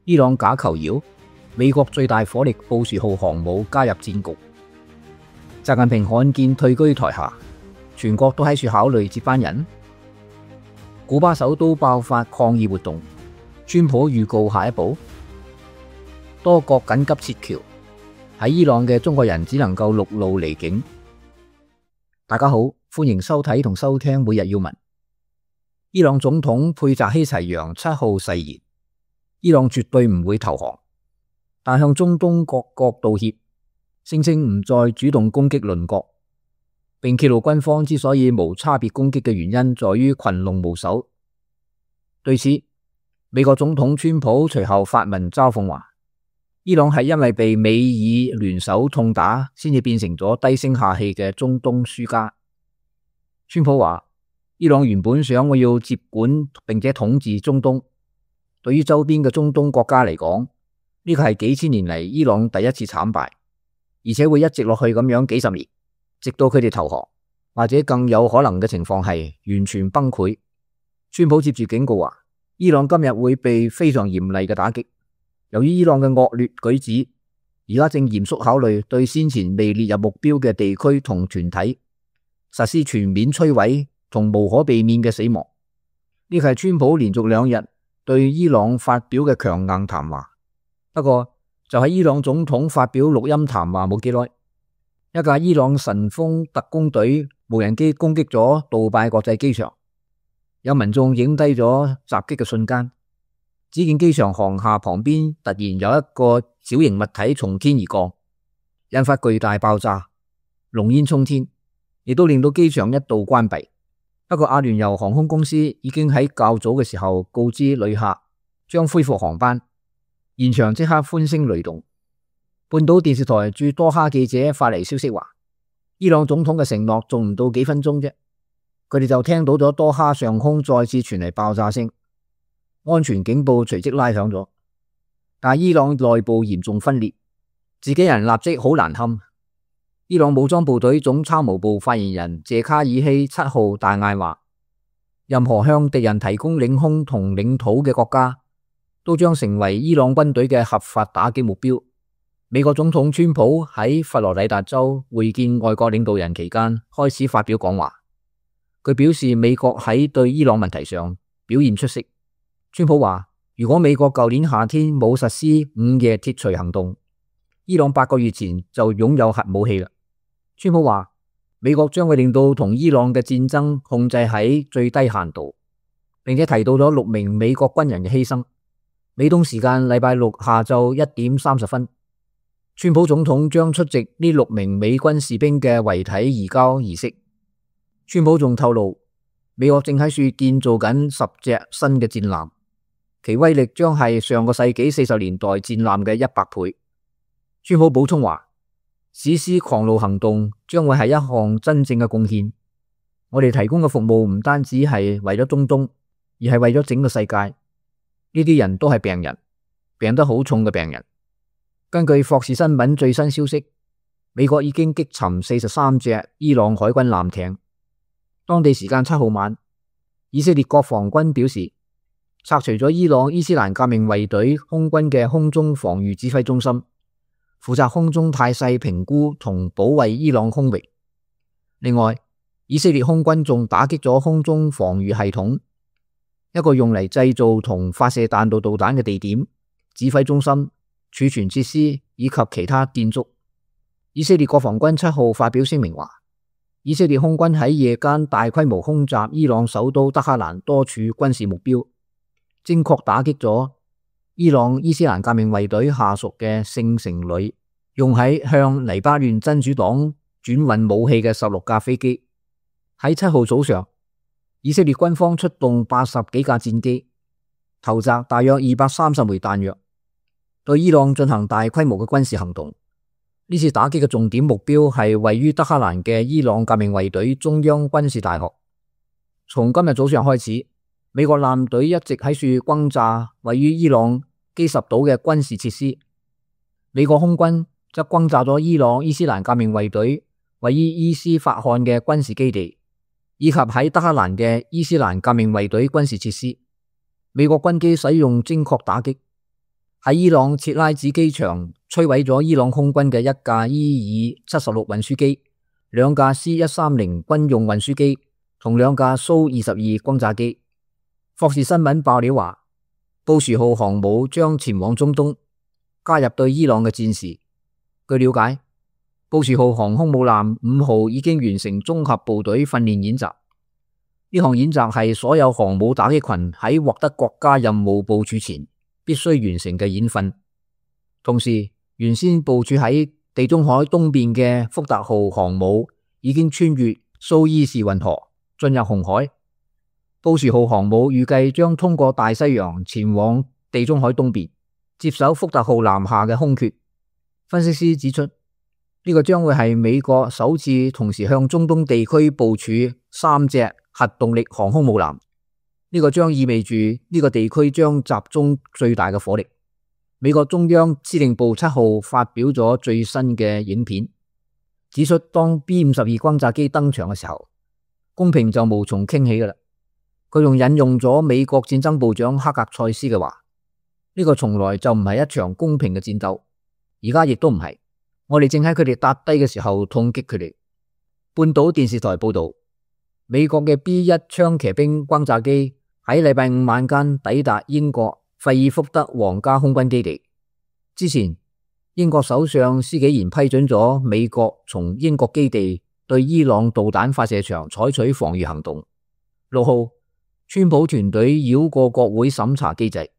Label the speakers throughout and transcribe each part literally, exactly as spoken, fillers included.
Speaker 1: 伊朗假求饒，美國最大火力布殊號航母加入戰局。習近平罕見退居台下，全國都喺處考慮接班人。古巴首都爆發抗議活動，川普預告下一步。多國緊急撤僑，喺伊朗嘅中國人只能夠陸路離境。大家好，歡迎收睇同收聽每日要聞。伊朗總統佩澤希齊揚七號誓言，伊朗絕對唔會投降，但向中東各國道歉，聲稱唔再主動攻擊鄰國，並揭露軍方之所以無差別攻擊嘅原因在於群龍無首。對此，美國總統川普隨後發文嘲諷話，伊朗係因為被美以聯手痛打，先至變成咗低聲下氣嘅中東輸家。川普話，伊朗原本想我要接管並且統治中東，對於周邊嘅中東國家嚟講，呢個係幾千年嚟伊朗第一次慘敗，而且會一直落去咁樣幾十年，直到佢哋投降，或者更有可能嘅情況係完全崩潰。川普接住警告話，伊朗今日會被非常嚴厲嘅打擊。由於伊朗嘅惡劣舉止，而家正嚴肅考慮對先前未列入目標嘅地區同團體實施全面摧毀同無可避免嘅死亡。呢個係川普連續兩日對伊朗發表嘅強硬談話。不過就喺伊朗總統發表錄音談話冇幾耐，一架伊朗神風特工隊無人機攻擊咗杜拜國際機場，有民眾影低咗襲擊嘅瞬間。只見機場航廈旁邊突然有一個小型物體從天而降，引發巨大爆炸，濃煙衝天，亦都令到機場一度關閉。不過阿聯酋航空公司已經喺較早嘅時候告知旅客將恢復航班，現場即刻歡聲雷動。半島電視台駐多哈記者發嚟消息話，伊朗總統嘅承諾仲唔到幾分鐘啫，佢哋就聽到咗多哈上空再次傳嚟爆炸聲。安全警報隨即拉響咗，但伊朗內部嚴重分裂，自己人立即好難堪。伊朗武裝部隊總參謀部發言人謝卡爾希七號大嗌話，任何向敵人提供領空同領土嘅國家都將成為伊朗軍隊嘅合法打擊目標。美國總統川普喺佛羅里達州會見外國領導人期間開始發表講話，佢表示美國喺對伊朗問題上表現出色。川普話，如果美國舊年夏天冇實施午夜鐵錘行動，伊朗八個月前就擁有核武器啦。川普話，美國將會令到同伊朗嘅戰爭控制喺最低限度，並且提到咗六名美國軍人嘅犧牲。美東時間禮拜六下晝一點三十分，川普總統將出席呢六名美軍士兵嘅遺體移交儀式。川普仲透露，美國正喺處建造緊十隻新嘅戰艦，其威力將係上個世紀四十年代戰艦嘅一百倍。川普補充話，史詩狂怒行動將會係一項真正嘅貢獻。我哋提供嘅服務唔單止係為咗中東，而係為咗整個世界。呢啲人都係病人，病得好重嘅病人。根據霍士新聞最新消息，美國已經擊沉四十三隻伊朗海軍艦艇。當地時間七號晚，以色列國防軍表示，拆除咗伊朗伊斯蘭革命衛隊空軍嘅空中防禦指揮中心，負責空中態勢評估同保衛伊朗空域。另外，以色列空軍仲打擊咗空中防禦系統，一個用嚟製造同發射彈道導彈嘅地點、指揮中心、儲存設施以及其他建築。以色列國防軍七號發表聲明話，以色列空軍喺夜間大規模空襲伊朗首都德黑蘭多處軍事目標，精確打擊咗伊朗伊斯蘭革命衛隊下屬嘅聖城旅用喺向黎巴嫩真主黨轉運武器嘅十六架飛機。喺七號早上，以色列軍方出動八十幾架戰機，投擲大約二百三十枚彈藥，對伊朗進行大規模嘅軍事行動。呢次打擊嘅重點目標係位於德黑蘭嘅伊朗革命衛隊中央軍事大學。從今日早上開始，美國艦隊一直喺處轟炸位於伊朗基什島嘅軍事設施。美國空軍則轟炸咗伊朗伊斯蘭革命衛隊位於伊斯法罕嘅軍事基地，以及喺德黑蘭嘅伊斯蘭革命衛隊軍事設施。美國軍機使用精確打擊，喺伊朗切拉子機場摧毀咗伊朗空軍嘅一架伊爾七十六運輸機、兩架 C 一三零軍用運輸機同兩架蘇二十二轟炸機。霍士新聞爆料話，布殊號航母將前往中東，加入對伊朗嘅戰事。據了解，布殊號航空母艦五號已經完成綜合部隊訓練演習。呢項演習係所有航母打擊群喺獲得國家任務部署前必須完成嘅演訓。同時，原先部署喺地中海東邊嘅福特號航母已經穿越蘇伊士運河進入紅海。布殊號航母預計將通過大西洋前往地中海東邊，接手福特號南下嘅空缺。分析師指出，呢、這個將會係美國首次同時向中東地區部署三隻核動力航空母艦。呢、這個將意味住呢個地區將集中最大嘅火力。美國中央司令部七號發表咗最新嘅影片，指出當 B 五十二轟炸機登場嘅時候，公平就無從傾起㗎喇。佢仲引用咗美國戰爭部長克格塞斯嘅話，呢、這個從來就唔係一場公平嘅戰鬥，而家亦都唔係。我哋正喺佢哋笪低嘅時候痛擊佢哋。半島電視台報道，美國嘅 B 一槍騎兵轟炸機喺禮拜五晚間抵達英國費爾福德皇家空軍基地。之前，英國首相施紀賢批准咗美國從英國基地對伊朗導彈發射場採取防禦行動。六號，川普團隊繞過國會審查機制，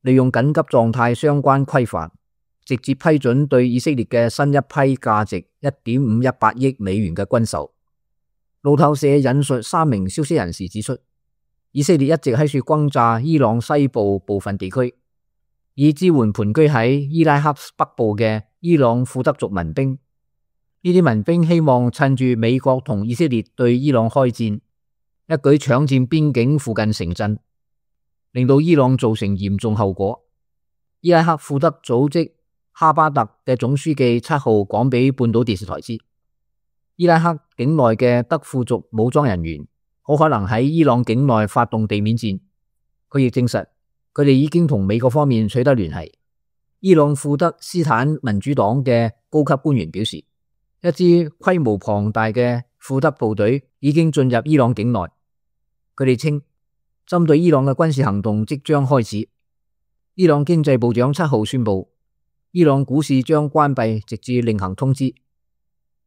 Speaker 1: 利用緊急狀態相關規範，直接批准對以色列嘅新一批價值一點五一八億美元嘅軍售。路透社引述三名消息人士指出，以色列一直喺處轟炸伊朗西部部分地區，以支援盤踞喺伊拉克北部嘅伊朗庫德族民兵。呢啲民兵希望趁住美國同以色列對伊朗開戰，一舉搶佔邊境附近城鎮，令到伊朗造成嚴重後果。伊拉克庫德組織哈巴特嘅總書記七號講俾半島電視台知，伊拉克境內嘅德庫族武裝人員好可能喺伊朗境內發動地面戰。佢亦證實，佢哋已經同美國方面取得聯繫。伊朗庫德斯坦民主黨嘅高級官員表示，一支規模龐大嘅庫德部隊已經進入伊朗境內。佢哋稱，針對伊朗嘅軍事行動即將開始。伊朗經濟部長七號宣布，伊朗股市將關閉直至另行通知。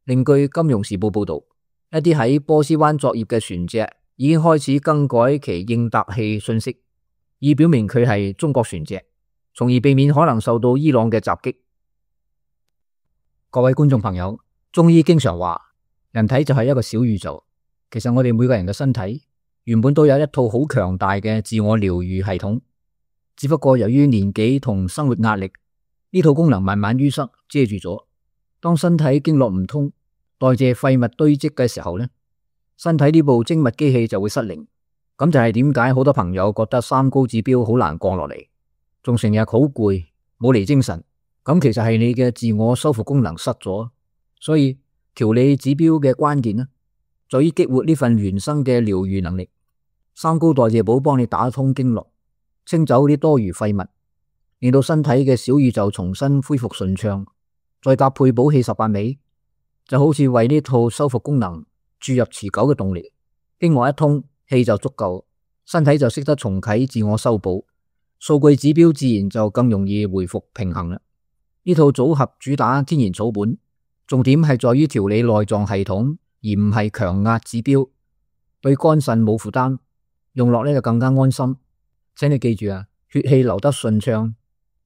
Speaker 1: 另據《金融時報》報道，一啲喺波斯灣作業嘅船隻已經開始更改其應答器信息，以表明佢係中國船隻，從而避免可能受到伊朗嘅襲擊。各位觀眾朋友，中醫經常話，人體就係一個小宇宙。其實我哋每個人嘅身體原本都有一套好強大嘅自我療愈系統，只不過由於年紀同生活壓力，呢套功能慢慢淤塞遮住咗。當身體經絡唔通，代謝廢物堆積嘅時候呢，身體呢部精密機器就會失靈。咁就係點解好多朋友覺得三高指標好難降落嚟，仲成日好攰，冇嚟精神。咁其實係你嘅自我修復功能失咗。所以調理指標嘅關鍵呢，在於激活呢份原生嘅療愈能力。三高代謝寶幫你打通經絡，清走啲多餘廢物，令到身體嘅小宇宙重新恢復順暢。再搭配補氣十八味，就好似為呢套修復功能注入持久嘅動力。經絡一通，氣就足夠，身體就識得重啟自我修補，數據指標自然就更容易回復平衡啦。呢套組合主打天然草本，重點係在於調理內臟系統，而唔係強壓指標，對肝腎冇負擔，用落呢就更加安心。請你記住啊，血氣流得順暢，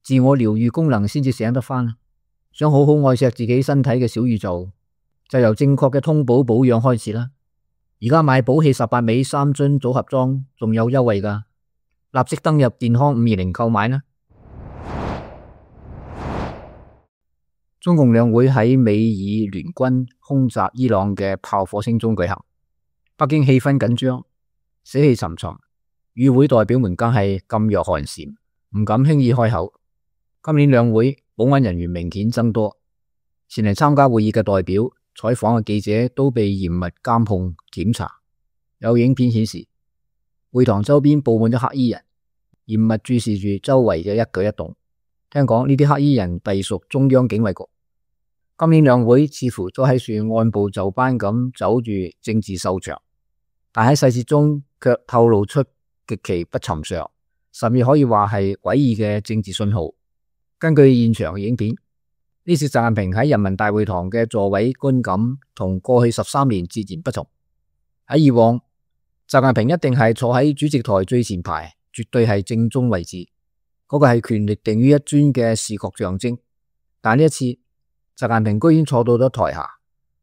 Speaker 1: 自我療愈功能先至醒得返。想好好愛錫自己身體嘅小宇宙，就由正確嘅通補保養開始啦。而家買補氣十八味三樽組合裝仲有優惠㗎，立即登入健康五二零購買啦。中共兩會喺美以聯軍空襲伊朗嘅炮火聲中舉行，北京氣氛緊張，死氣沉沉，與會代表們更係噤若寒蟬，唔敢輕易開口。今年兩會保安人員明顯增多，前嚟參加會議嘅代表、採訪嘅記者都被嚴密監控檢查。有影片顯示，會堂周邊布滿咗黑衣人，嚴密注視住周圍嘅一舉一動。聽講呢啲黑衣人隸屬中央警衛局。今年兩會似乎都喺處按部就班咁走住政治秀場，但喺細節中卻透露出極其不尋常，甚至可以話係詭異嘅政治信號。根據現場影片，呢次習近平喺人民大會堂嘅座位觀感同過去十三年截然不同。喺以往，習近平一定係坐喺主席台最前排，絕對係正中位置，嗰、那個係權力定於一尊嘅視覺象徵。但呢一次，習近平居然坐到咗台下，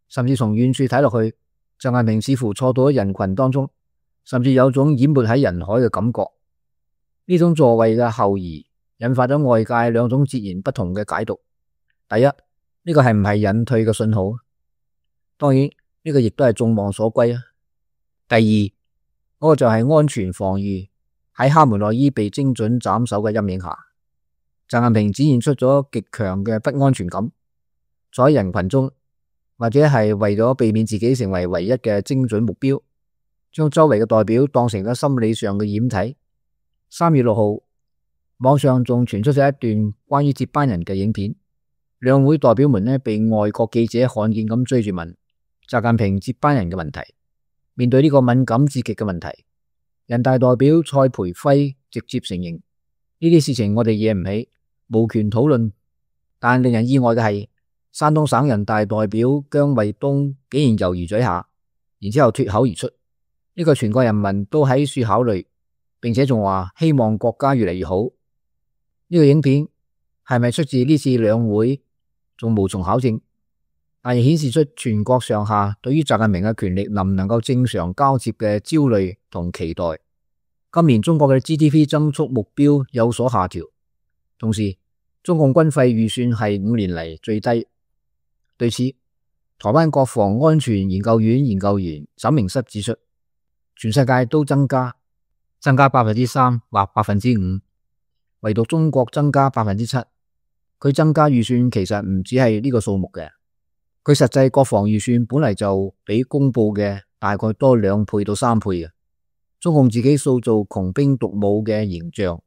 Speaker 1: 甚至從遠處睇落去，習近平似乎坐到咗人群當中，甚至有種淹沒喺人海嘅感覺。呢種座位嘅後移引發咗外界兩種截然不同嘅解讀。第一，呢、這個係唔係隱退嘅信號？當然，呢、這個亦都係眾望所歸啊。第二，嗰、那個就係安全防禦喺哈梅內伊被精準斬首嘅陰影下，習近平展現出咗極強嘅不安全感。坐喺人群中，或者係為咗避免自己成為唯一嘅精準目標，將周圍嘅代表當成咗心理上嘅掩體。三月六號，網上仲傳出咗一段關於接班人嘅影片，兩會代表們呢被外國記者罕見咁追住問習近平接班人嘅問題。面對呢個敏感至極嘅問題，人大代表蔡培輝直接承認呢啲事情我哋惹唔起，無權討論。但令人意外嘅係，山東省人大代表姜衛東竟然猶豫咗一下，然之後脫口而出：呢個全國人民都喺處考慮，並且仲話希望國家越嚟越好。呢個影片係咪出自呢次兩會，仲無從考證，但亦顯示出全國上下對於習近平嘅權力能唔能夠正常交接嘅焦慮同期待。今年中國嘅 G D P 增速目標有所下調，同時中共軍費預算係五年嚟最低。對此，台灣國防安全研究院研究員沈明室指出，全世界都增加，增加百分之三或百分之五，唯獨中國增加百分之七。佢增加預算其實唔止係呢個數目嘅，佢實際國防預算本嚟就比公布嘅大概多兩倍到三倍嘅。中共自己塑造窮兵黷武嘅形象。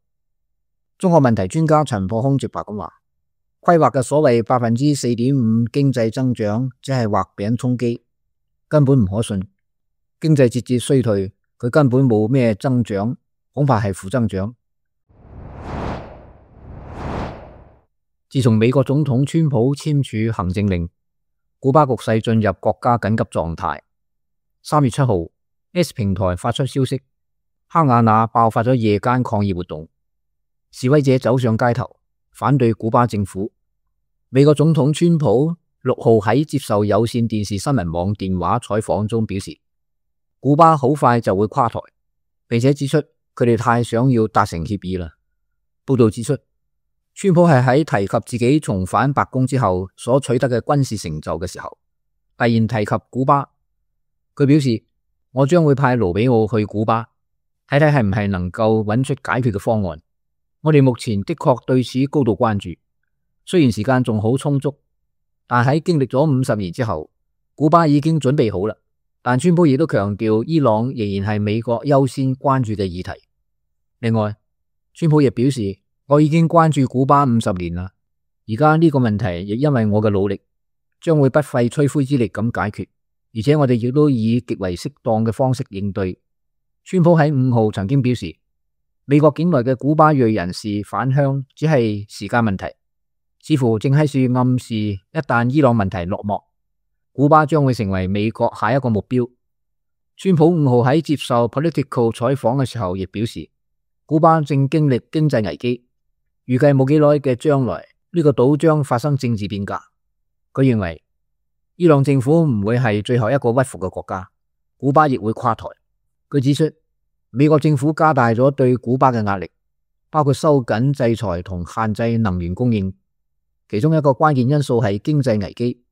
Speaker 1: 中國問題專家陳破空直白咁話，規劃嘅所謂百分之四點五經濟增長，只係畫餅充飢，根本唔可信。經濟節節衰退，佢根本冇咩增長，恐怕係負增長。自從美國總統川普簽署行政令，古巴局勢進入國家緊急狀態。三月七號 ，S 平台發出消息，哈瓦那爆發咗夜間抗議活動，示威者走上街頭，反對古巴政府。美國總統川普六號喺接受有線電視新聞網電話採訪中表示，古巴好快就會垮台，並且指出佢哋太想要達成協議啦。報道指出，川普係喺提及自己重返白宮之後所取得嘅軍事成就嘅時候，突然提及古巴。佢表示，我將會派盧比奧去古巴，睇睇係唔係能夠揾出解決嘅方案。我哋目前的確對此高度關注，雖然時間仲好充足，但喺經歷咗五十年之後，古巴已經準備好啦。但川普亦都強調，伊朗仍然係美國優先關注嘅議題。另外，川普亦表示，我已經關注古巴五十年啦，而家呢個問題亦因為我嘅努力，將會不費吹灰之力咁解決，而且我哋亦都以極為適當嘅方式應對。川普喺五號曾經表示，美國境內嘅古巴裔人士返鄉只係時間問題，似乎正喺處暗示一旦伊朗問題落幕，古巴將會成為美國下一個目標。川普五號喺接受 Politico 採訪嘅時候亦表示，古巴正經歷經濟危機，預計冇幾耐嘅將來呢個島將發生政治變革。佢認為伊朗政府唔會係最後一個屈服嘅國家，古巴亦會垮台。佢指出，美國政府加大咗對古巴嘅壓力，包括收緊制裁同限制能源供應，其中一個關鍵因素係經濟危機，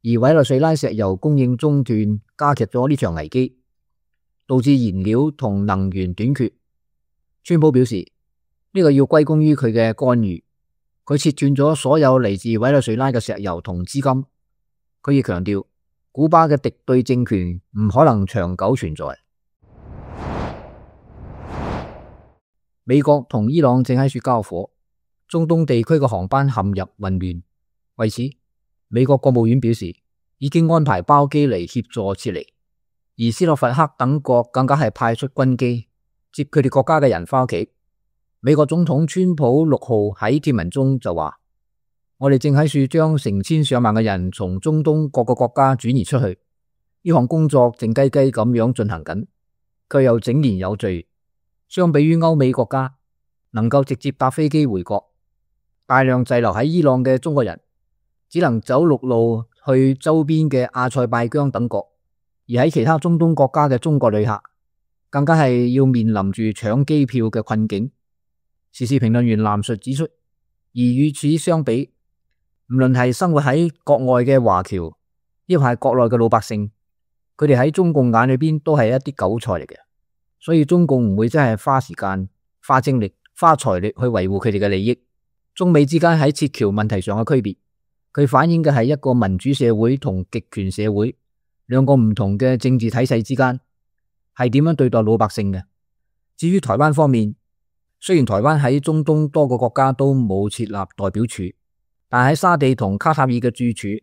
Speaker 1: 而委內瑞拉石油供應中斷加劇咗呢場危機，導致燃料同能源短缺。川普表示，呢個要歸功於佢嘅干預，佢切斷咗所有嚟自委內瑞拉嘅石油同資金。佢亦強調，古巴嘅敵對政權唔可能長久存在。美國同伊朗正喺處交火，中東地區嘅航班陷入混亂。為此，美國國務院表示已經安排包機嚟協助撤離，而斯洛伐克等國更加係派出軍機接佢哋國家嘅人返屋企。美國總統川普六號喺貼文中就話：我哋正喺處將成千上萬嘅人從中東各個國家轉移出去，呢項工作靜雞雞咁樣進行緊，卻又井然有序。相比於歐美國家能夠直接搭飛機回國，大量滯留喺伊朗嘅中國人只能走陸路去周邊嘅阿塞拜疆等國，而喺其他中東國家嘅中國旅客更加係要面臨住搶機票嘅困境。時事評論員藍述指出，而與此相比，唔論係生活喺國外嘅華僑，亦或係國內嘅老百姓，佢哋喺中共眼裏邊都係一啲韭菜嚟嘅，所以中共唔會真係花時間、花精力、花財力去維護佢哋嘅利益。中美之間喺撤僑問題上嘅區別，佢反映嘅係一個民主社會同極權社會兩個唔同嘅政治體制之間係點樣對待老百姓嘅。至於台灣方面，雖然台灣喺中東多個國家都冇設立代表處，但喺沙地同卡塔爾嘅駐處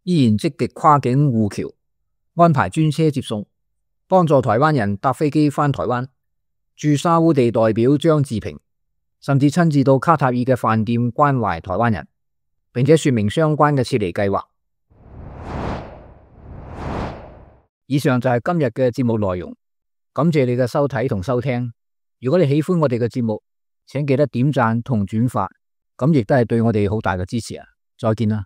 Speaker 1: 依然積極跨境護僑，安排專車接送，幫助台灣人搭飛機返台灣。駐沙烏地代表張志平甚至親自到卡塔爾嘅飯店關懷台灣人，並且說明相關嘅撤離計劃。以上就係今日嘅節目內容，感謝你嘅收睇同收聽。如果你喜歡我哋嘅節目，請記得點讚同轉發，咁亦都係對我哋好大嘅支持啊！再見啦。